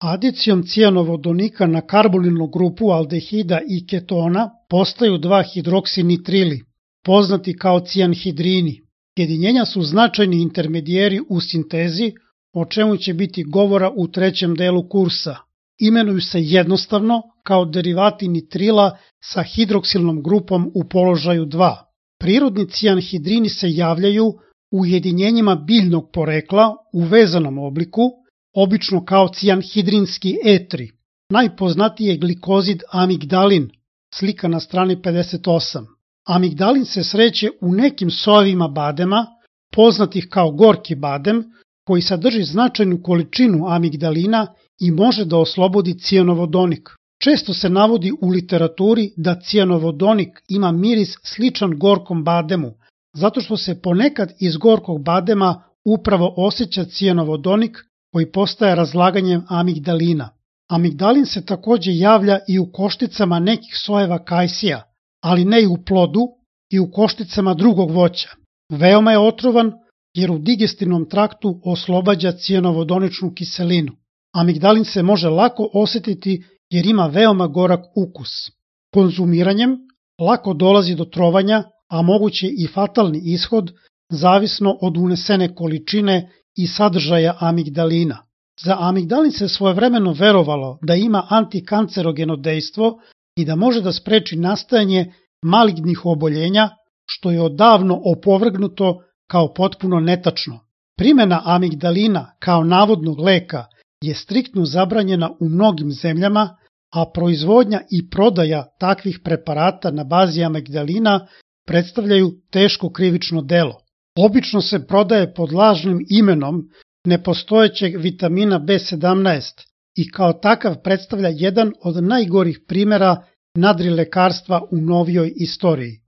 Adicijom cijanovodonika na karbonilnu grupu aldehida i ketona postaju 2-hidroksinitrili, poznati kao cijanhidrini. Jedinjenja su značajni intermedijeri u sintezi, o čemu će biti govora u trećem delu kursa. Imenuju se jednostavno kao derivati nitrila sa hidroksilnom grupom u položaju 2. Prirodni cijanhidrini se javljaju u ujedinjenjima biljnog porekla u vezanom obliku, obično kao cijanhidrinski etri. Najpoznatiji je glikozid amigdalin, slika na strani 58. Amigdalin se sreće u nekim sojevima badema, poznatih kao gorki badem, koji sadrži značajnu količinu amigdalina i može da oslobodi cijanovodonik. Često se navodi u literaturi da cijanovodonik ima miris sličan gorkom bademu, zato što se ponekad iz gorkog badema upravo osjeća cijanovodonik koji postaje razlaganjem amigdalina. Amigdalin se takođe javlja i u košticama nekih sojeva kajsija, ali ne i u plodu i u košticama drugog voća. Veoma je otrovan jer u digestivnom traktu oslobađa cijanovodoničnu kiselinu. Amigdalin se može lako osetiti jer ima veoma gorak ukus. Konzumiranjem lako dolazi do trovanja, a moguće i fatalni ishod, zavisno od unesene količine i sadržaja amigdalina. Za amigdalin se svojevremeno verovalo da ima antikancerogeno dejstvo i da može da spreči nastajanje malignih oboljenja, što je odavno opovrgnuto kao potpuno netačno. Primena amigdalina kao navodnog leka je striktno zabranjena u mnogim zemljama, a proizvodnja i prodaja takvih preparata na bazi amigdalina predstavljaju teško krivično delo. Obično se prodaje pod lažnim imenom nepostojećeg vitamina B17 i kao takav predstavlja jedan od najgorih primera nadrilekarstva u novijoj istoriji.